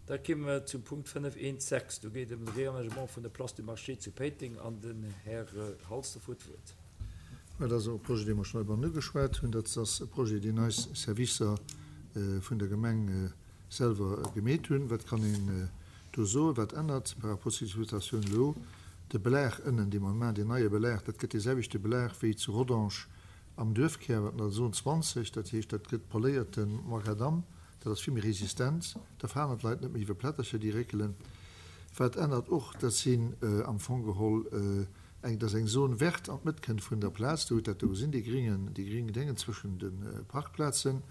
Da komme mer zum Punkt 5.1.6. Do geet et ëm de Réaménagement vun der Place du Marché zu Péiteng an den Här Halsdorf huet d'Wuert. Dat ass och e Projet, dee mer schonn heibannen ugeschwat hunn. Dat ass e Projet, deen eis Servicer vun der Gemeng selwer gemeet hunn. Wat kann een do soen? Wat ännert par rapport zur Situation elo? De Belag ënnen, dee mer maachen, deen neie Belag, dat gëtt dee selwechte Belag wéi zu Rodange am Duerfkär, wat an der Zon 20, dat heescht, dat gëtt poléierte Macadam. Dat ass vill méi resistent, da falen d'Leit net méi iwwer Plättercher, déi réckelen. Wat ännert och, dat sinn am Fong geholl eng, dass eng Zone verte an d'Mëtt kënnt vun der Plaz. Dir hutt dat do gesinn, déi gringen, déi gring Déngen zwëschen de Parkplazen.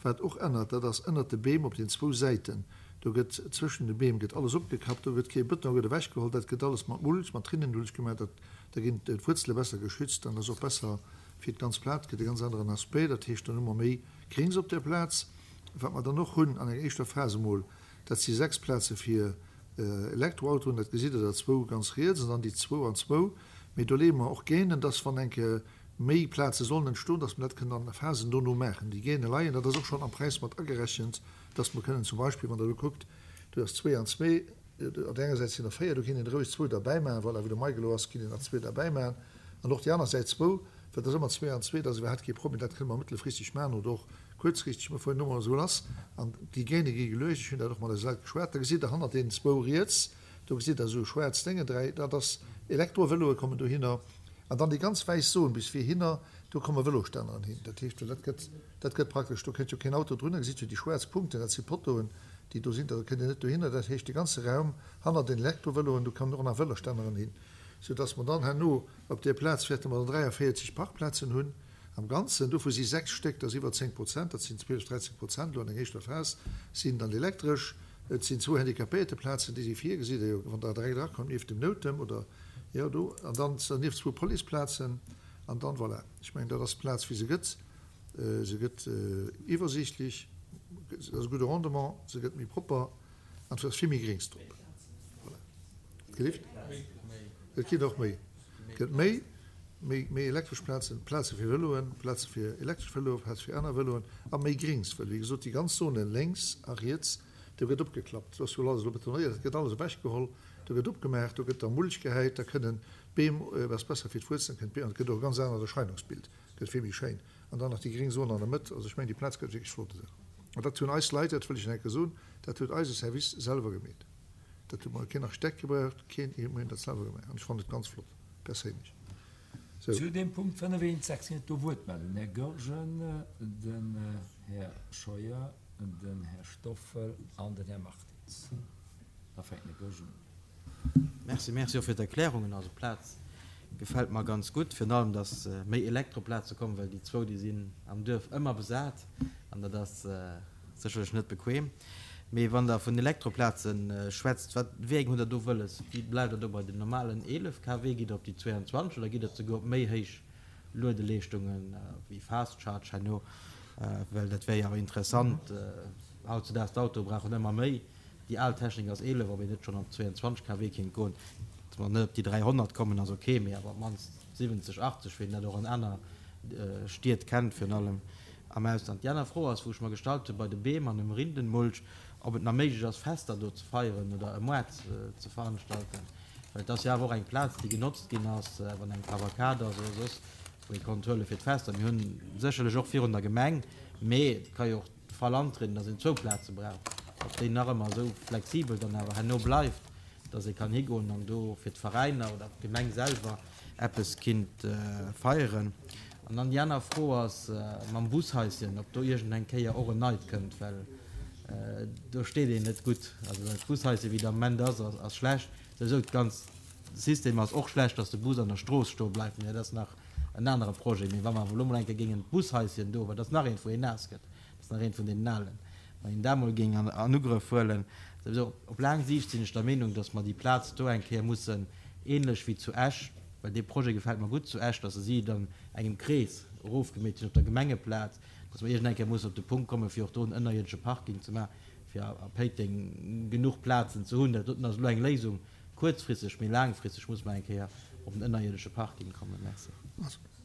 Wat och ännert, dat ass ënnert de Beem op den zwou Säiten, do gëtt zwëschen de Beem gëtt alles opgekappt, do gëtt kee Bëton gëtt ewechgeholl, dat gëtt alles mat Mulch, mat Rinnenmulch gemaach, dat, da ginn d'Wuerzele besser geschützt an ass och besser fir d'ganz Plaz, gëtt e ganz aneren Aspect. Dat heescht, dann hu mer méi Gréngs op där Plaz. Wat mer dann och hunn an enger éischter Phas emol, dat si 6 Plaze fir Elektroautoen, dat gesitt Der, der zwou ganz riets an dann déi zwou an zwou. Mee do leeë mer och Gainen, dass wann eng Kéier méi Plaze sollen entstoen, dass mer dat kënnen an Phasen dono maachen. Déi Gaine leien, dat ass och schonn am Präis mat agerechent, dass mer kënnen zum Beispill, wann Der elo kuckt, do ass zwee an zwee, op där enger Säit sinn der véier, do kéint een roueg zwou derbäi maachen, voilà, wou de Mike elo ass, kéint een nach zwee derbäi maachen an och déi aner Säit zwou. Well dat ass ëmmer zwee an zwee, dat ass iwwerhaapt kee Problem, dat kënne mer mëttelfristeg maachen oder och kuerzfristeg. Mer fueren elo mol esou lass an déi Gaine gi geluecht. Ech hunn dat och mat eise Leit geschwat. Da gesitt Der hannert deenen zwou riets, do gesitt Der esou schwaarz Déngen, dräi, dat ass Elektrovëloe kommen dohinner. An dann déi ganz wäiss Zon bis virhinner, do komme Vëlosstänneren hin. Dat heescht, dat gëtt, dat gëtt praktesch, do kënnt jo keen Auto drun. Da gesitt jo déi schwaarz Punkten, dat si Pottoen, déi do sinn, da kënnt een net dohinner. Dat heescht, de ganze Raum hannert den Elektrovëloen, do kommen och nach Vëlosstänneren hin, soudass mer dann herno Op där Plaz wäerte mer dann 43 Parkplazen hunn am Ganzen. Dovu si 6 Stéck, dat ass iwwer 10 Prozent, dat sinn 12, 13 Prozent elo an enger éischter Phas, sinn dann elektresch. Et sinn zwou Handicapéierteplazen, déi si vir, gesitt Der jo, wann Der direkt erakommt, nieft dem Noutem oder, jo, do, an dann dernieft zwou Policeplazen an dann, voilà. Ech mengen, dat ass d'Plaz, wéi se gëtt. Se gëtt iwwersiichtlech, se ass e gudde Rendement, se gëtt méi propper an et ass vill méi Gréngs drop. Voilà. Gelift? Et ginn och méi. Et gëtt méi, méi, méi elektresch Plazen, Plaze fir Vëloen, Plaze fir elektresch Vëloen, Plaze fir aner Vëloen a méi Gréngs. Well, wéi gesot, déi ganz Zone lénks a riets, do gëtt opgeklappt. Do ass jo alles elo betonéiert, dat gëtt alles ewechgeholl, do gëtt opgemaach, do gëtt da Mulch gehäit, da kënnen d'Beem, ass besser fir d'Wuerzelen, kënnen d'Beem, an et gëtt och e ganz anert Erscheinungsbild, gëtt vill méi schéin. An dann nach déi gréng Zone an der Mëtt. Also ech mengen, déi Plaz gëtt wierklech flott esou. An dat hunn eis Leit, dat wëll ech nach eng Kéier soen, dat huet eise Service selwer gemeet. Dat huet mer keen Architekt gebraucht, keen, mir hunn dat selwer gemaach an ech fannen et ganz flott, perséinlech. Sou. Zu deem Punkt 5.1.6 sinn et do Wuertmeldungen, den Här Goergen, den Här Scheuer, den Här Stoffel an den Här Martins. Da fänkt den Här Goergen un. Merci, merci och fir d'Erklärungen. Also d'Plaz gefält mer ganz gutt, virun allem datt méi Elektroplaze kommen, well déi zwou, déi sinn am Duerf ëmmer besat an dat ass sécherlech net bequem. Mee wann Der vun Elektroplaze schwätzt, wat, wéi eng hutt Der do wëlles? Bleift Der do bei den normalen 11 kW? Gitt Der op déi 22 oder gitt Der souguer op méi héich Luedeleeschtungen, wéi Fast Charge herno? Well dat wär jo awer interessant. Hautzedaags, d'Autoe brauchen ëmmer méi. Déi al Technik ass 11, ob een net schonn op 22 kW kéint goen. Datt mer net op déi 300 kommen, ass ok, mee awer op d'mannst 70, 80, wéi een dat och an aner Stied kennt, virun allem am Ausland. Déi aner Fro ass, wou ech mer gestallt hu bei de Beem an um Rindenmulch, ob et nach méiglech ass, Fester do ze feieren oder e Moart ze veranstalten, well et ass jo awer och eng Plaz, déi genotzt ginn ass, wann eng Cavalcade ass oder soss, wou ee konnt huele fir d'Fester. Mir hunn sécherlech och virun der Gemeng, mee et ka jo och de Fall antrieden, dass een zwou Plaze brauch, ob déi nach ëmmer esou flexibel dann awer herno bleift, dass ee kann higoen an do fir d'Veräiner oder d'Gemeng selwer eppes kinnt feieren. An dann déi aner Fro ass mam Bushaischen, ob do iergend eng Kéier och en neit kënnt, well do steet een net gutt. Also dat Bushaischen, wéi et am Moment ass, ass schlecht. Souwisou d'ganz System ass och schlecht, dass de Bus an der Strooss stoe bleift, mä dat ass nach en anere Projet. Mee wa mer awer elo mol eng Kéier géingen d'Bushaischen do, well dat ass nach eent, wou een naass gëtt, dat ass nach eent vun deenen alen, wann een dat mol géing an Ugrëff huelen. Souwisou op laang Siicht sinn ech der Meenung, dass mer déi Plaz do eng Kéier mussen, ähnlech wéi zu Esch, well dee Projet gefält mer gutt zu Esch, dass se si et an engem Krees erofgemeet hunn op der Gemengeplaz, dass mer iergend eng Kéier mussen op de Punkt kommen, fir och do en ënnerierdesche Parking ze maachen, fir a Péiteng genuch Plazen ze hunn. Dat doten ass elo eng Léisung kuerzfristeg, mee laangfristeg muss mer eng Kéier op en ënnerierdesche Parking kommen. Merci.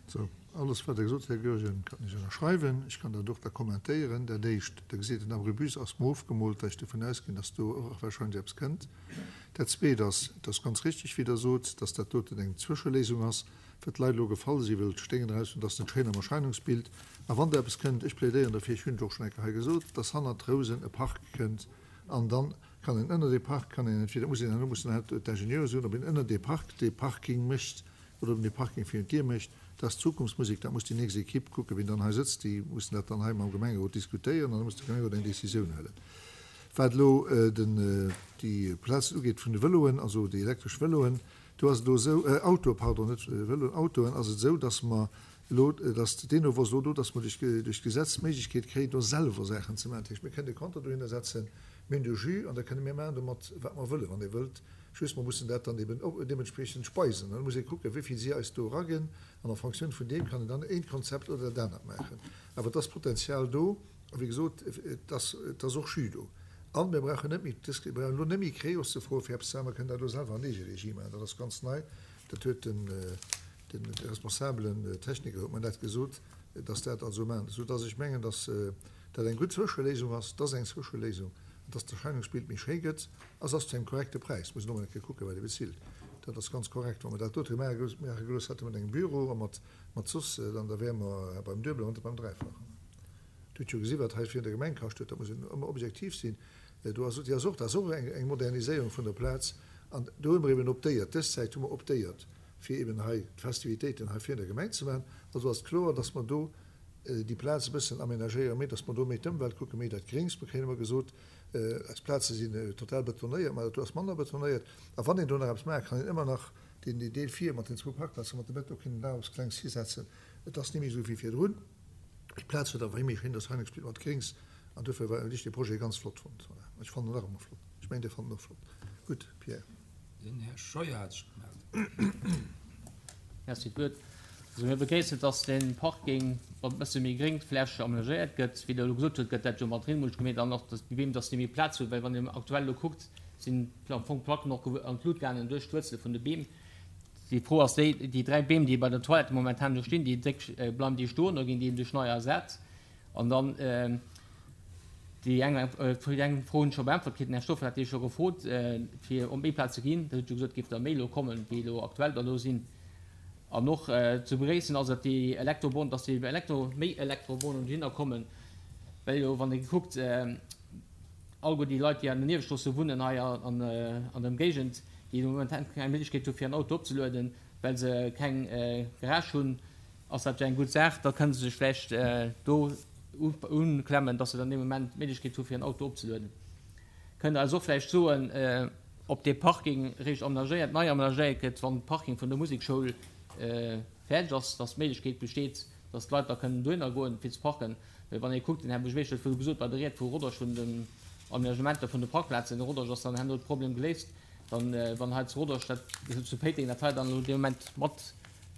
Sou. Alles wat Der gesot hutt, Här Goergen, kann ech ënnerschreiwen. Ech kann dat och da kommentéieren. Dat Éischt, Der gesitt, den Abribus ass mofgemoolt, well ech dovun ausginn, dass do och wahrscheinlech eppes kënnt. Dat Zweet ass, et ass ganz richtig, wéi Der sot, dass dat doten eng Zwëscheléisung ass, wat d'Leit elo gefall si wëll d'Sténgen eraus hunn, dat ass net schéin am Erscheinungsbild. A wann da eppes kënnt, ech plädéieren derfir, ech hunn et och schonn eng Kéier hei gesot, dass hannert d'Rousen e Park kënnt an dann kann een ënner dee Park, kann een entweder, muss een herno mussen halt d'Ingenieure soen, ob een ënner dee Park dee Parking mécht oder ob een dee Parking virun d'Dier mécht. Dat ass Zukunftsmusek, dat muss déi nächst Equipe kucken, wien dann hei sëtzt, déi mussen dat dann hei mam Gemengerot diskutéieren an da muss de Gemengerot eng Décisioun huelen. Wat elo den, déi Plazen ugeet vun de Vëloen, also déi elektresch Vëloen, do ass et elo esou, Autoe, pardon, net Vëloen, Autoen, ass et esou, dass mer elo, dass d'Enovos elo do, dass mer duerch, duerch d'Gesetz d'Méiglechkeet kréien, do selwer Saachen ze maachen. Dat heescht, mir kënnen de Compteur dohinner setzen, mir hunn de Jus an da kënne mir maachen domat, wat mer wëllen, wann ee wëllt. Just, mer mussen dat dann eben och deementspriechend speisen. An da muss ee kucken, wéi vill si eis do eraginn. An en Fonctioun vun deem kann een dann eent Konzept oder dat anert maachen. Awer et ass Potenzial do. A wéi gesot, et ass, et ass och Jus do. A mir brauchen net méi, mir brauchen elo net méi Creos ze froen, fir eppes ze maachen. Mer kënnen dat elo selwer an Eegeregie maachen. Dat ass ganz nei. Dat huet den, den responsabelen Techniker huet mer dat gesot, dass dat also maachen. Soudass ech mengen, dass dat eng gutt Zwëscheléisung ass. Et ass eng Zwëscheléisung. An dass d'Erscheinungsbild méi schéi gëtt. A se ass zu engem korrekte Präis. Muss een och emol eng Kéier kucken, wat ee bezilt. Dat ass ganz korrekt. Wa mer dat dote maache gelooss hätte mat engem Büro a mat, mat soss, dann da wäre mer beim Duebelen an net beim Dräifachen. Dir hutt jo gesi wat hei virun der Gemeng kascht huet. Dat muss een ëmmer objektiv sinn. Do ass, déi ass och, dat ass och eng, eng Moderniséierung vun der Plaz. An do hu mer eben optéiert, dës Zäit hu mer optéiert, fir eben hei d'Festivitéiten hei virun der Gemeng ze maachen. Also ass et kloer, dass mer do déi Plaz e bëssen aménagéieren, méi dass mer do méi d'Ëmwelt kucken, méi dat Gréngs. Mer kréien ëmmer gesot, eis Plaze sinn total betonéiert, mä dat do ass manner betonéiert. A wann een do nach eppes maache kann een ëmmer nach deen Deel vir mat den zwou Parkplazen, mat dem Bëton, kënnen een nach eppes Klengs hisetzen. Et ass ni méi esou wéi virdrun. D'Plaz huet awer méi schéin Erscheinungsbild mat Gréngs an duerfir war hunn ech dee Projet ganz flott fonnt. Voilà. Ech fannen en nach ëmmer flott. Ech mengen, Dir fannt en och flott. Gutt, Pierre. Den Här Scheuer hat sech gemellt. Merci fir d'Wuert. Also mir begréissen, dass dee Parking mat e bësse méi Gréngfläch amenagéiert gëtt. Wéi Der elo gesot hutt, gëtt dat jo mat Ringmulch gemeet an och, dass déi Beem, dass déi méi Plaz hunn, well wann een aktuell elo kuckt, sinn am Fong d'Placken och an d'Lut gaangen duerch d'Wuerzele vun de Beem. Déi Fro ass déi, déi 3 Beem, déi bei der Toilette momentan do stinn, déi déck, bleiwen déi stoen oder ginn déi duerch neier ersat? An dann déi eng, déi eng Fro hunn ech scho beäntwert kritt, den Här Stoffel hat déi scho gefrot, fir op méi Plaz ze ginn. Der hutt jo gesot, et géif der méi elo kommen, wéi elo aktuell der do sinn. An och ze begréissen ass, datt déi Elektrobon, datt déi Elektro, méi Elektrobonnen dohinner kommen, well jo, wann ee kuckt, Alleguer déi Leit, déi an den Niewestroosse wunnen hei an der Ëmgéigend, déi de Moment keng Méiglechkeet hu fir en Auto opzelueden, well se keng Garage hunn, ass dat jo eng gutt Saach. Da kënne se sech vläicht do uklemmen, dass se dann dee Moment d'Méiglechkeet hu fir en Auto opzelueden. Kënnt Der eis och vläicht soen, ob dee Parking eréischt amenagéiert, nei amenagéiert gëtt, wann de Parking vun der Musekschoul fäerdeg ass, dass d'Méiglechkeet besteet, dass d'Leit da kënnen dohinner goen, fir ze parken? Well wann ee kuckt, den Här Buergermeeschter huet virdru gesot, bei der Ried vu Rodange vun den Aménagementer vun de Parkplazen, Rodange ass dann herno de Problem geléist, dann wann hei zu Rodange dat, zu Péiteng dat hei dann elo dee Moment mat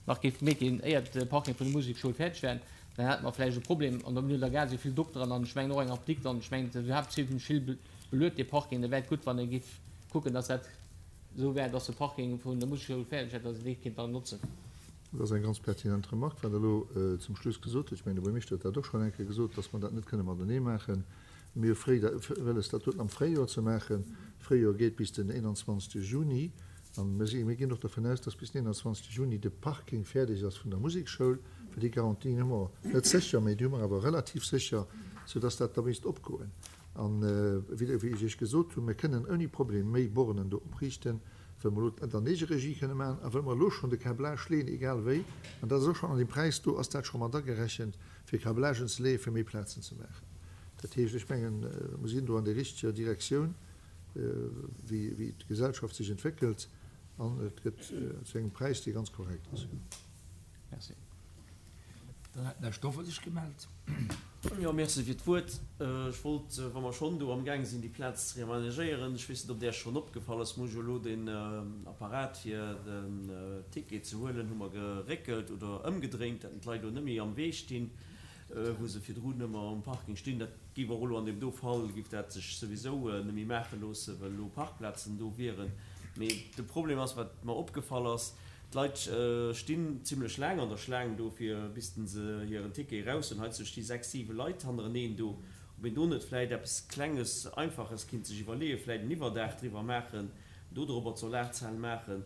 nach géif gemeet ginn, éiert de Parking vun der Musekschoul fäerdeg wär, dann hätte mer vläicht e Problem. An no der Gare si vill Dokteren an ech mengen och eng Apdikt an ech mengen et ass iwwerhaapt zimmlech vill beluet dee Parking. Da wär et gutt, wann ee géif kucken, dass dat esou wär, dass de Parking vun der Musekschoul fäerdeg wär, dass een dee kéint dann notzen. Dat ass eng ganz pertinent Remarque, wat Der elo zum Schluss gesot hutt. Ech mengen, de Buergermeeschter huet dat och schonn eng Kéier gesot, dass mer dat net kënne matenee maachen. Mir hu fréi wëlles, dat doten am Fréijoer ze maachen. D'Fréijoer geet bis den 21. Juni. A mir si, mir ginn och dovun aus, dass bis den 21. Juni de Parking fäerdeg ass vun der Musekschoul. Well déi Garantien hu mer net sécher, mee déi hu mer awer relativ sécher, soudass dat da misst opgoen. An, wéi ech Iech gesot hunn, mir kënnen ouni Problem méi Bornen do opriichten. Well mer elo et an Eegeregie kënne maachen a well mer elo schonn de Câblage leeën, egal wéi, an dat ass och schonn an deem Präis do, ass dat scho mat agerechent, fir Câblagen ze leeën, fir méi Plazen ze maachen. Dat heescht, ech mengen, mer sinn do an der richteger Direktioun, wéi d'Gesellschaft sech entwéckelt, an et gëtt zu engem Präis, dee ganz korrekt ass. Merci. Dann hat den Här Stoffel sech gemellt. Jo, merci fir d'Wuert. Ech wollt, wa mer schonn do amgaang sinn, déi Plaz ze reamenagéieren, ech weess net, ob där schonn opgefall ass, mir hu jo elo deen Apparat, fir den Ticket ze huelen, hu mer geréckelt oder ëmgedréint, dat d'Leit elo net méi am Wee stinn, wou se virdrun ëmmer um Parking stinn. Dat géif och elo an deem do Fall géif dat sech souwisou net méi maache loossen, well elo Parkplazen do wieren. Mee de Problem ass, wat mer opgefall ass. D'Leit stinn zimlech laang an der Schlaang do fir bis den se hiren Ticket eraus hunn. Heiansdo sti 6, 7 Leit hannereneen do. Ob een do net vläit eppes Klenges, Einfaches kinnt sech iwwerleeën, vläit en Iwwerdaach driwwer maachen, do dorobber d'Solarzell maachen,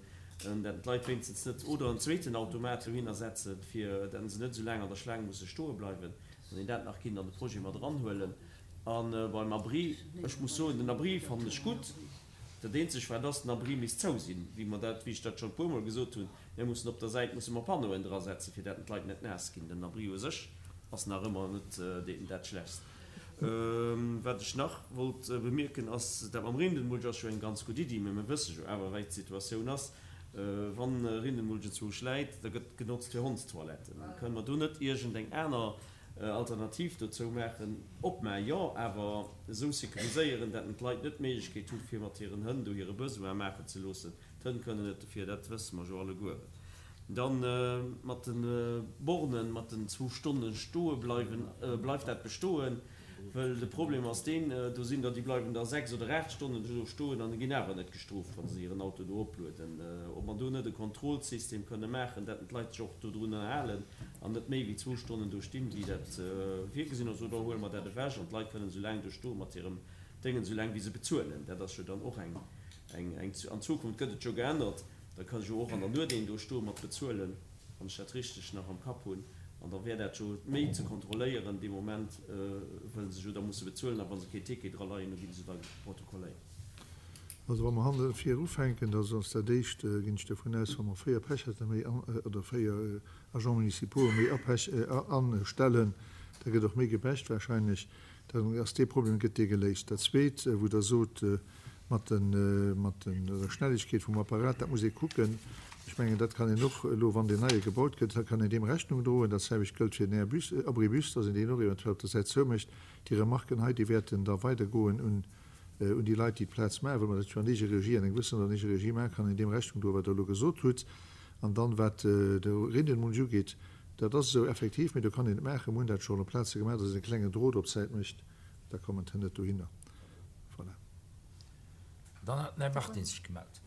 dat d'Leit wéinstens net, oder en zweeten Automat dohinner setzen, fir dat se net esou laang an der Schlaang musse stoe bleiwen, wann een dat nach kinnt an de Projet mat eranhuelen. A beim Abri, ech muss soen, den Abri fannen ech gutt. Dat eenzegt wat ass, den Abri misst zou sinn, wéi mer dat, wéi ech dat schonn e puermol gesot hunn. Mir mussen op der Säit musse mer Panneauen drasetzen, fir dat d'Leit net naass ginn. Den Abri u sech ass nach ëmmer net dat Schlechtst. Wat ech nach wollt bemierken ass, dat mam Rindenmulch ass jo eng ganz gutt Iddi, mä mir wësse jo awer wéi d'Situatioun ass. Wann Rindenmulch enzwousch läit, da gëtt genotzt fir Hondstoiletten. Kënne mer do net iergendeng aner Alternativ dozou maachen, opmaen, jo, awer esou sécuriséieren, dat d'Leit net d'Méiglechkeet hu fir mat hiren Hënn do hire Besoin maachen ze loossen. D'Hënn kënnen net dofir, dat wësse mer jo allegueren. Dann mat de Bornen, mat den zwou Stonne stoe bleiwen, bleift dat bestoen? Well de Problem ass deen, do sinn der, déi bleiwen da 6 oder 8 Stonnen do stoen an ginn awer net gestrooft, wa se hiren Auto do oplueden. Ob mer do net e Kontrollsystem kënne maachen, dat d'Leit sech och dodrunner halen an net méi wéi zwou Stonnen do stinn, wéi dat virgesinn ass, oder huele mer dat ewech an d'Leit kënnen esou laang do stoe mat hirem Déngen, esou laang wéi se bezuelen. Dat ass jo dann och eng, eng, eng, an Zukunft gëtt et jo geännert, da ka jo och an der Nuet een do stoe mat bezuelen. wann ech dat richteg nach am Kapp hunn, an da wär dat jo méi ze kontrolléieren, dee Moment wëlle se jo da musse bezuelen, a wa se keen Ticket dra leien hu gi se da protokolléiert. Also wa mer hanne vir ufänken, da ass dat éischt, ginn ech dervun aus, wa mer 4 Pecherte méi an, oder 4 Agents municipaux méi apech, anstellen, da gëtt och méi gepecht wahrscheinlech. Dann ass dee Problem, gëtt dee geléist. Dat Zweet, wou Der sot, mat de, mat der Schnelligkeet vum Apparat, dat muss ee kucken. Ech mengen, dat kann een och elo, wann deen neie gebaut gëtt, da kann een deem Rechnung droen. Dat selwecht gëllt fir den Airbus, Abribus, dass een deen och eventuell op der Säit zoumécht. Déi Remarken hei, déi wäerten da weidergoen un, un déi Leit, déi d'Plaz maachen, well mer dat jo an Eegeregie, an engem gewëssenen an Eegeregie maachen, kann een deem Rechnung droen, wat Der elo gesot hutt. An dann, wat de Rindenmulch ugeet, Dat ass esou effektiv, mee do kann een et maachen. Mir hunn dat schonn op Plaze gemaach, dass een e klengen Drot op d'Säit mécht, da kommen d'Hënn net dohinner. Voilà. Dann hat den Här Martins sech gemellt.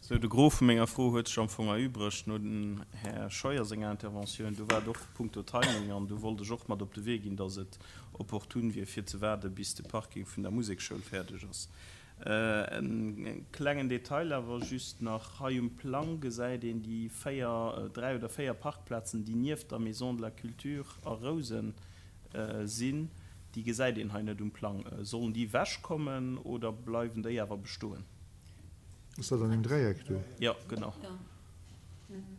Sou, de Gros vu menger Fro huet sech am Fong erübregt no dem Här Scheuer senger Interventioun. Do war et och punkto Timing an do wollt ech och mat op de Wee ginn, dass et opportun wier fir ze waarde bis de Parking vun der Musekschoul fäerdeg ass. E klengen Detail awer just nach, Hei um Plang gesäit een déi 4, 3 oder 4 Parkplazen, déi nieft der Maison de la Culture a Rousen sinn. Déi gesäit een hei net um Plang. Sollen déi ewechkommen oder bleiwen déi awer bestoen? Ass dat an deem Dräieck do? Jo, genau.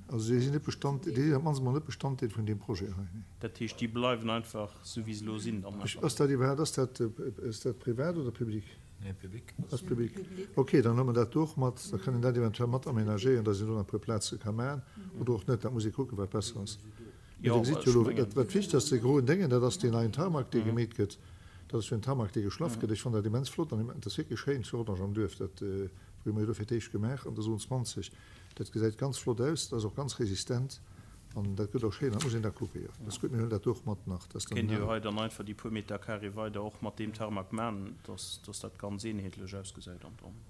Also déi sinn net Bestand, déi sinn op d'mannst emol net Bestanddeel vun deem Projet hei. Nee. Dat heescht, déi bleiwen einfach esou wéi se elo sinn dann einfach? Ass dat iwwerhaapt, ass dat, ass dat privat oder public? Nee, public. Ass public. Ok, dann hu mer dat do och mat. Da kënnen dat eventuell mat amenagéieren, datt een do nach e puer Plaze ka maachen. Oder och net, dat muss ee kucken, wat besser ass. Mee Dir gesitt jo elo, dat wat wichteg ass, dee groen Déngen, dat ass deen neien Tarmac, dee gemeet gëtt. Dat ass jo en Tarmac, dee geschlaff gëtt. Ech fannen dat immens flott an dat ass wierklech schéin zu Rodange am Duerf. Dat hu mer jo do fir d'éischt gemaach an der Zone 20. Dat gesäit ganz flott aus, dat ass och ganz resistent an dat gëtt och schéin. Dat muss een da kucken, jo. Dat ass gutt, mir huelen dat do och mat nach. Dat kéint Dir jo hei dann einfach déi puer Meter carré weider och mat deem Tarmac man, dass dass dat ganz eenheetlech ausgesäit an dann.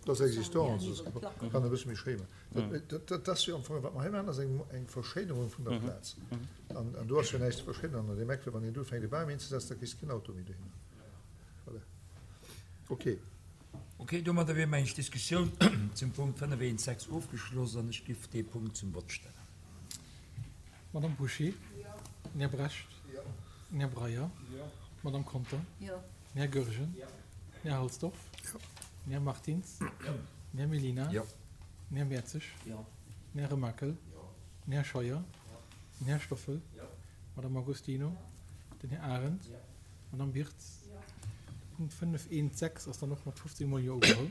Dat ass existant, dat kann e bësse méi schéi man. Dat ass jo am Fong, wat mer hei maachen, ass eng Verschéinerung vun der Plaz. An do ass jo näischt ze verschéineren an deem Eck, well wann een do ufänkt e Bam hinzesetzen, da kriss de keen Auto méi dohinner. Voilà. Okay. Okay, domadder wier, meng ech, d'Diskussioun zum Punkt 5.1.6 ofgeschloss an ech giff dee Punkt zum Vott stellen. Madame Bouché? Den Här Brecht? Den Här Breyer? D'Madame Conter? Den Här Goergen? Den Här Halsdorf? Den Här Martins? Den Här Mellina? Den Här Mertzig? Den Här Remakel? Den Här Scheuer? Den Här Stoffel? D'Madame Agostino? Den Här Arendt? D'Madame Birtz. De Punkt 5.1.6 ass dann och mat 15 mol Jo ugeholl.